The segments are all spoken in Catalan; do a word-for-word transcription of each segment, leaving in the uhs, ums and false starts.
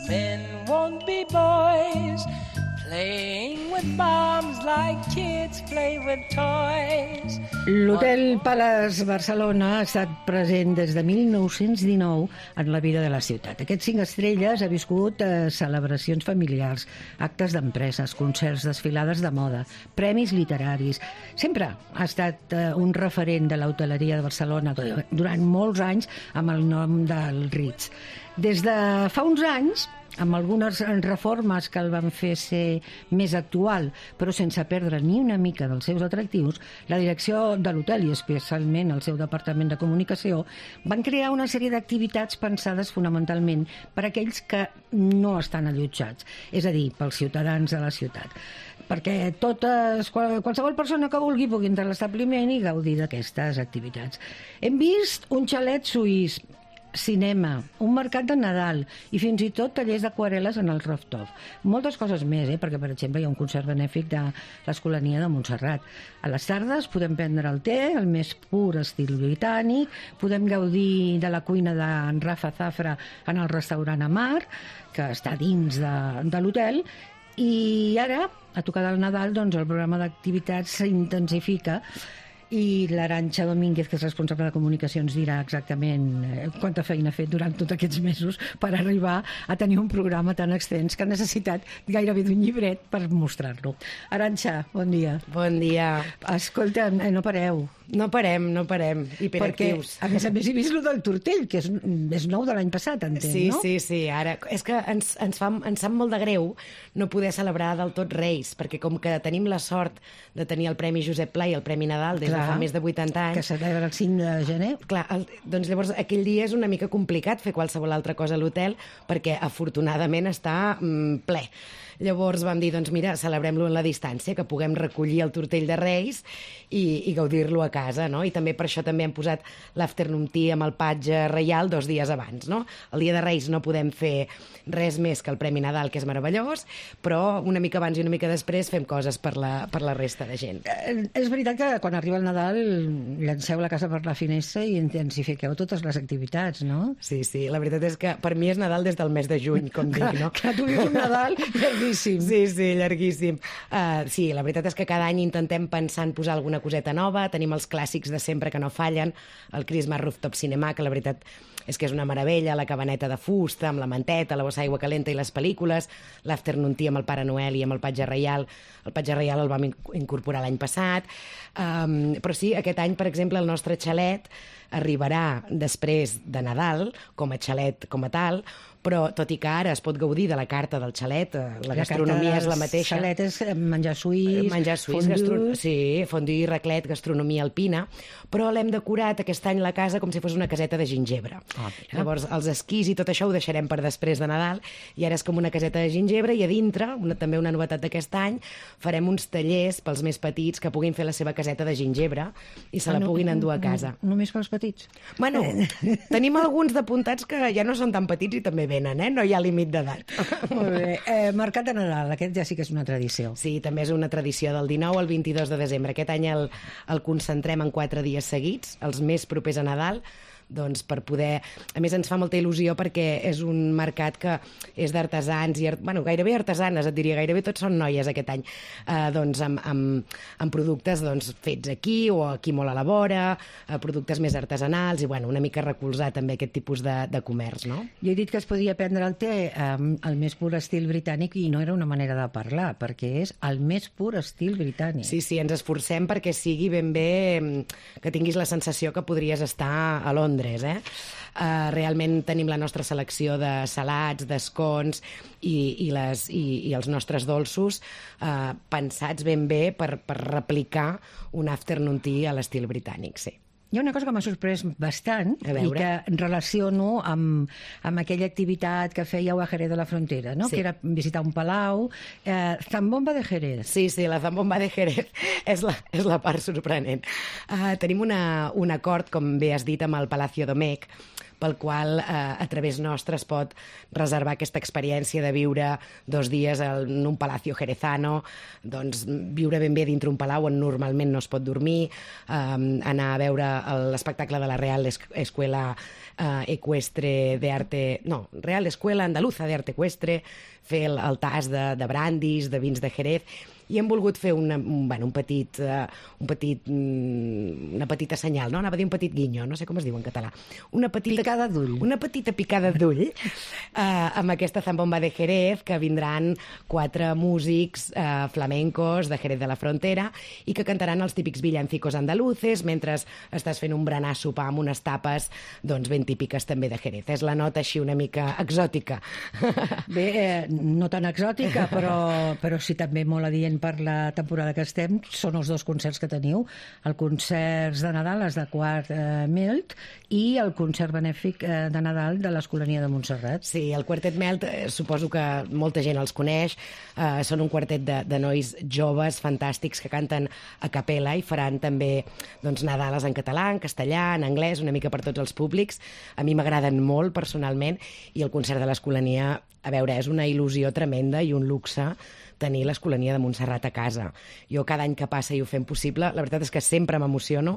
men won't be boys, playing with bombs like kids play with toys. L'Hotel Palace Barcelona ha estat present des de mil nou-cents dinou en la vida de la ciutat. Aquests cinc estrelles ha viscut eh, celebracions familiars, actes d'empreses, concerts, desfilades de moda, premis literaris. Sempre ha estat eh, un referent de l'hoteleria de Barcelona durant molts anys amb el nom del Ritz. Des de fa uns anys, amb algunes reformes que el van fer ser més actual, però sense perdre ni una mica dels seus atractius, la direcció de l'hotel i especialment el seu departament de comunicació van crear una sèrie d'activitats pensades fonamentalment per a aquells que no estan allotjats, és a dir, pels ciutadans de la ciutat, perquè totes, qualsevol persona que vulgui pugui entrar a l'establiment i gaudir d'aquestes activitats. Hem vist un xalet suís, cinema, un mercat de Nadal i fins i tot tallers d'aquarel·les en el rooftop. Moltes coses més, eh? perquè, per exemple, hi ha un concert benèfic de l'Escolania de Montserrat. A les tardes podem prendre el té, el més pur estil britànic, podem gaudir de la cuina d'en Rafa Zafra en el restaurant Amar, que està dins de, de l'hotel, i ara, a tocar del Nadal, doncs, el programa d'activitats s'intensifica i l'Arantxa Domínguez, que és responsable de comunicacions, dirà exactament quanta feina ha fet durant tots aquests mesos per arribar a tenir un programa tan extens que ha necessitat gairebé d'un llibret per mostrar-lo. Arantxa, bon dia. Bon dia. Escolta, no pareu. No parem, no parem. Hiperactius. Perquè, a més a més, he vist el del tortell, que és, és nou de l'any passat, entenc, sí, no? Sí, sí, ara... És que ens, ens, fa, ens sap molt de greu no poder celebrar del tot Reis, perquè com que tenim la sort de tenir el Premi Josep Pla i el Premi Nadal des Clar, de fa més de vuitanta anys... Que celebra el cinc de gener. Clar, el, doncs llavors aquell dia és una mica complicat fer qualsevol altra cosa a l'hotel, perquè afortunadament està mm, ple. Llavors vam dir, doncs mira, celebrem-lo en la distància, que puguem recollir el tortell de Reis i, i gaudir-lo a casa, no? I també per això també hem posat l'afternoon tea amb el patge reial dos dies abans, no? El dia de Reis no podem fer res més que el Premi Nadal, que és meravellós, però una mica abans i una mica després fem coses per la, per la resta de gent. Eh, és veritat que quan arriba el Nadal llanceu la casa per la finestra i intensifiqueu totes les activitats, no? Sí, sí, la veritat és que per mi és Nadal des del mes de juny, com dic, no? Que tu vius un Nadal llarguíssim. Sí, sí, llarguíssim. Uh, sí, la veritat és que cada any intentem pensar en posar alguna coseta nova, tenim els clàssics de sempre que no fallen, el Christmas Rooftop Cinema, que la veritat és que és una meravella, la cabaneta de fusta, amb la manteta, la bossa d'aigua calenta i les pel·lícules, l'afternoon tea amb el Pare Noel i amb el Patge Reial. El Patge Reial el vam incorporar l'any passat. Um, però sí, aquest any, per exemple, el nostre xalet arribarà després de Nadal, com a xalet com a tal, però tot i que ara es pot gaudir de la carta del xalet, la, la gastronomia és la mateixa. Xalet és menjar suís, menjar suís, gastro... sí, fondue, raclet, gastronomia alpina, però l'hem decorat aquest any la casa com si fos una caseta de gingebre. Oh, Llavors, els esquís i tot això ho deixarem per després de Nadal, i ara és com una caseta de gingebre, i a dintre, una, també una novetat d'aquest any, farem uns tallers pels més petits que puguin fer la seva caseta de gingebre i se la ah, no, puguin endur a casa. No, només pels petits? Bueno, tenim alguns d'apuntats que ja no són tan petits i també venen, eh? No hi ha límit d'edat. Molt bé. Eh, Mercat de Nadal, aquest ja sí que és una tradició. Sí, també és una tradició del dinou al vint-i-dos de desembre. Aquest any el, el concentrem en quatre dies seguits, els més propers a Nadal, doncs per poder... A més, ens fa molta il·lusió perquè és un mercat que és d'artesans, i art... bueno, gairebé artesanes, et diria, gairebé tots són noies aquest any, eh, doncs amb, amb, amb productes doncs, fets aquí o aquí molt a la vora, eh, productes més artesanals, i bueno, una mica recolzar també aquest tipus de, de comerç, no? Jo he dit que es podia prendre el té amb el més pur estil britànic i no era una manera de parlar, perquè és el més pur estil britànic. Sí, sí, ens esforcem perquè sigui ben bé, que tinguis la sensació que podries estar a Londres, Eh? Uh, realment tenim la nostra selecció de salats, d'escons i, i, les, i, i els nostres dolços uh, pensats ben bé per, per replicar un afternoon tea a l'estil britànic, sí. Hi ha una cosa que m'ha sorprès bastant i que relaciono amb, amb aquella activitat que fèieu a Jerez de la Frontera, no? Sí. Que era visitar un palau. Eh, Zambomba de Jerez. Sí, sí, la Zambomba de Jerez és la, és la part sorprenent. Uh, tenim una, un acord, com bé has dit, amb el Palacio Domecq, pel qual eh, a través nostre es pot reservar aquesta experiència de viure dos dies en un palacio jerezano, doncs viure ben bé dintre un palau on normalment no es pot dormir, eh, anar a veure l'espectacle de la Real Escuela eh, Ecuestre de Arte... No, Real Escuela Andaluza de Arte Ecuestre, fer el, el tas de, de brandis, de vins de Jerez, i hem volgut fer una, un, bueno, un petit, uh, un petit, una petita senyal, no? Anava a dir un petit guinyo, no sé com es diu en català. Una petita picada d'ull. Una petita picada d'ull uh, amb aquesta zambomba de Jerez, que vindran quatre músics uh, flamencos de Jerez de la Frontera i que cantaran els típics villancicos andaluces mentre estàs fent un berenar sopar amb unes tapes doncs ben típiques també de Jerez. És la nota així una mica exòtica. Bé, eh, no tan exòtica, però, però sí també molt adient per la temporada que estem, són els dos concerts que teniu, el concert de Nadal, els de Quart eh, Melt, i el concert benèfic eh, de Nadal de l'Escolania de Montserrat. Sí, el Quartet Melt, eh, suposo que molta gent els coneix, eh, són un quartet de, de nois joves, fantàstics, que canten a capella i faran també doncs, Nadales en català, en castellà, en anglès, una mica per tots els públics. A mi m'agraden molt, personalment, i el concert de l'Escolania, a veure, és una il·lusió tremenda i un luxe tenir l'Escolania de Montserrat a casa. Jo cada any que passa i ho fem possible, la veritat és que sempre m'emociono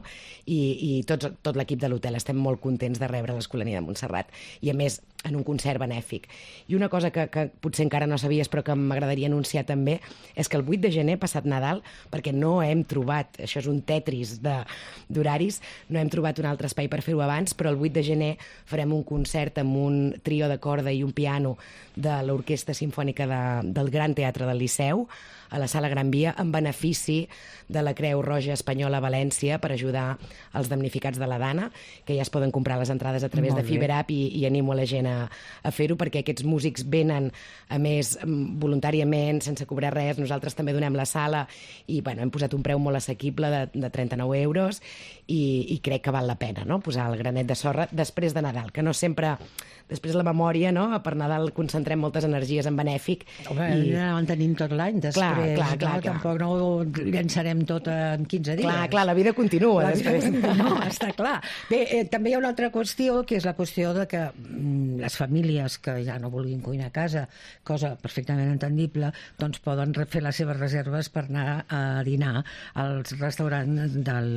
i, i tots, tot l'equip de l'hotel estem molt contents de rebre l'Escolania de Montserrat. I a més, en un concert benèfic. I una cosa que, que potser encara no sabies però que m'agradaria anunciar també és que el vuit de gener, passat Nadal, perquè no hem trobat, això és un tetris d'horaris, no hem trobat un altre espai per fer-ho abans, però el vuit de gener farem un concert amb un trio de corda i un piano de l'Orquestra Simfònica de, del Gran Teatre del Liceu, a la Sala Gran Via, en benefici de la Creu Roja Espanyola a València per ajudar els damnificats de la Dana, que ja es poden comprar les entrades a través Molt de Fiberapp i, i animo a la gent a, a fer-ho, perquè aquests músics venen, a més, voluntàriament, sense cobrar res. Nosaltres també donem la sala i bueno, hem posat un preu molt assequible de, de trenta-nou euros i, i crec que val la pena, no?, posar el granet de sorra després de Nadal, que no sempre... Després la memòria, no?, per Nadal concentrem moltes energies en benèfic. Home, i... ja en tenim tot l'any, després. Clar, clar, clar, no, tampoc no ho llançarem tot en quinze dies. Clar, clar, la vida continua. La vida després. continua, està clar. Bé, eh, també hi ha una altra qüestió, que és la qüestió de que mm, les famílies que ja no vulguin cuinar a casa, cosa perfectament entendible, doncs poden fer les seves reserves per anar a dinar als restaurants del,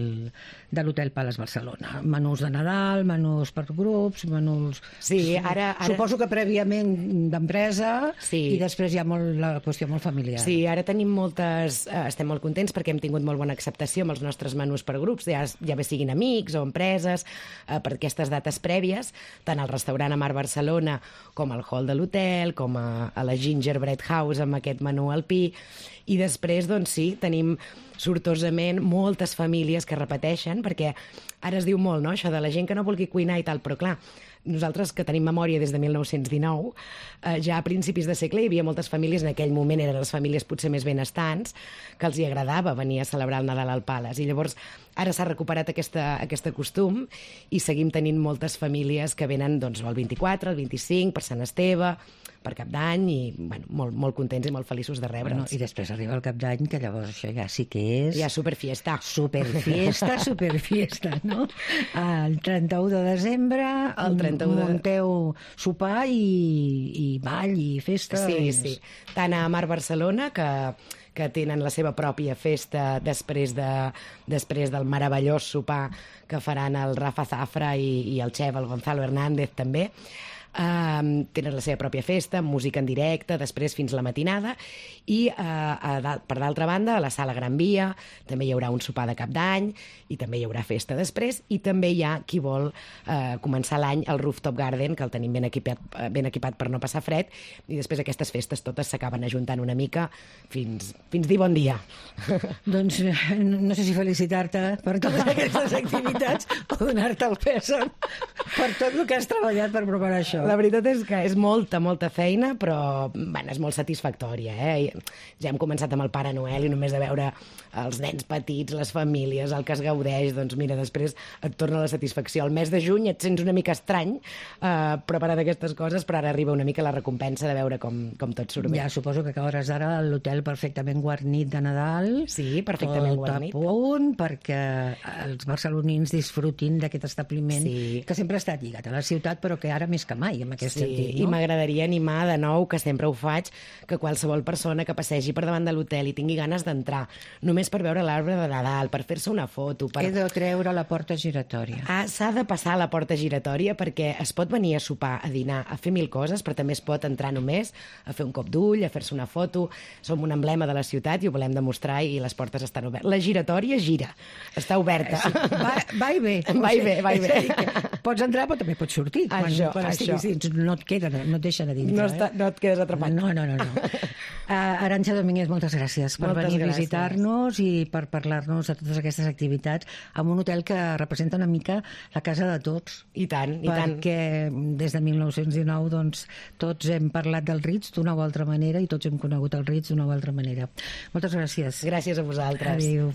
de l'Hotel Palace Barcelona. Menús de Nadal, menús per grups, menús... Sí, ara... ara... Suposo que prèviament d'empresa sí. i després hi ha molt, la qüestió molt familiar. Sí, ara tenim moltes... Eh, estem molt contents perquè hem tingut molt bona acceptació amb els nostres menús per grups, ja, ja bé siguin amics o empreses, eh, per aquestes dates prèvies, tant al restaurant Amar Barcelona com al hall de l'hotel, com a, a la Gingerbread House amb aquest menú alpí. I després, doncs sí, tenim sortosament moltes famílies que repeteixen, perquè ara es diu molt, no?, això de la gent que no vulgui cuinar i tal, però clar, nosaltres que tenim memòria des de mil nou-cents dinou, eh, ja a principis de segle hi havia moltes famílies, en aquell moment eren les famílies potser més benestants, que els hi agradava venir a celebrar el Nadal al Palace. I llavors ara s'ha recuperat aquesta, aquest costum i seguim tenint moltes famílies que venen doncs, el vint-i-quatre, el vint-i-cinc, per Sant Esteve, per Cap d'Any, i bueno, molt, molt contents i molt feliços de rebre'ls. Bueno, i després arriba el Cap d'Any, que llavors això ja sí que és... Ja superfiesta. Superfiesta, superfiesta, no? El trenta-u de desembre, el trenta-u de... munteu sopar i, i ball i festa. Sí, i... sí. Tant a Mar Barcelona, que que tenen la seva pròpia festa després, de, després del meravellós sopar que faran el Rafa Zafra i, i el xef, el Gonzalo Hernández, també. Uh, tenen la seva pròpia festa, música en directe, després fins la matinada, i uh, a, per d'altra banda a la Sala Gran Via també hi haurà un sopar de Cap d'Any i també hi haurà festa després, i també hi ha qui vol uh, començar l'any al Rooftop Garden, que el tenim ben equipat, ben equipat per no passar fred, i després aquestes festes totes s'acaben ajuntant una mica fins, fins dir bon dia. Doncs no sé si felicitar-te per totes aquestes activitats o donar-te el pèsam per tot el que has treballat per preparar això. La veritat és que és molta, molta feina, però bueno, és molt satisfactòria. Eh? Ja hem començat amb el Pare Noel i només de veure els nens petits, les famílies, el que es gaudeix, doncs mira, després et torna la satisfacció. El mes de juny et sents una mica estrany eh, preparant aquestes coses, però ara arriba una mica la recompensa de veure com, com tot surt bé. Ja suposo que acabaràs ara a l'hotel perfectament guarnit de Nadal. Sí, perfectament tot guarnit. Tot a punt, perquè els barcelonins disfrutin d'aquest establiment Sí. que sempre ha estat lligat a la ciutat, però que ara més que mai, en aquest Sí, sentit. i No? m'agradaria animar de nou, que sempre ho faig, que qualsevol persona que passegi per davant de l'hotel i tingui ganes d'entrar, només per veure l'arbre de Nadal, per fer-se una foto... Per... He de treure la porta giratòria. Ah, s'ha de passar a la porta giratòria perquè es pot venir a sopar, a dinar, a fer mil coses, però també es pot entrar només a fer un cop d'ull, a fer-se una foto. Som un emblema de la ciutat i ho volem demostrar i les portes estan obertes. La giratòria gira, està oberta. Sí, va, va i ve. Va i ve, va i ve. És a dir que pots entrar, però també pots sortir. Quan, Això, quan això. estiguis dins, no et queden, no et deixen a dintre. No, està, no et quedes atrapat. No, no, no. no. Uh, Arantxa Domínguez, moltes gràcies per Moltes venir a gràcies. visitar-nos i per parlar-nos de totes aquestes activitats amb un hotel que representa una mica la casa de tots. I tant, i tant. Perquè des de mil nou-cents dinou doncs, tots hem parlat del Ritz d'una o altra manera i tots hem conegut el Ritz d'una o altra manera. Moltes gràcies. Gràcies a vosaltres. Adéu.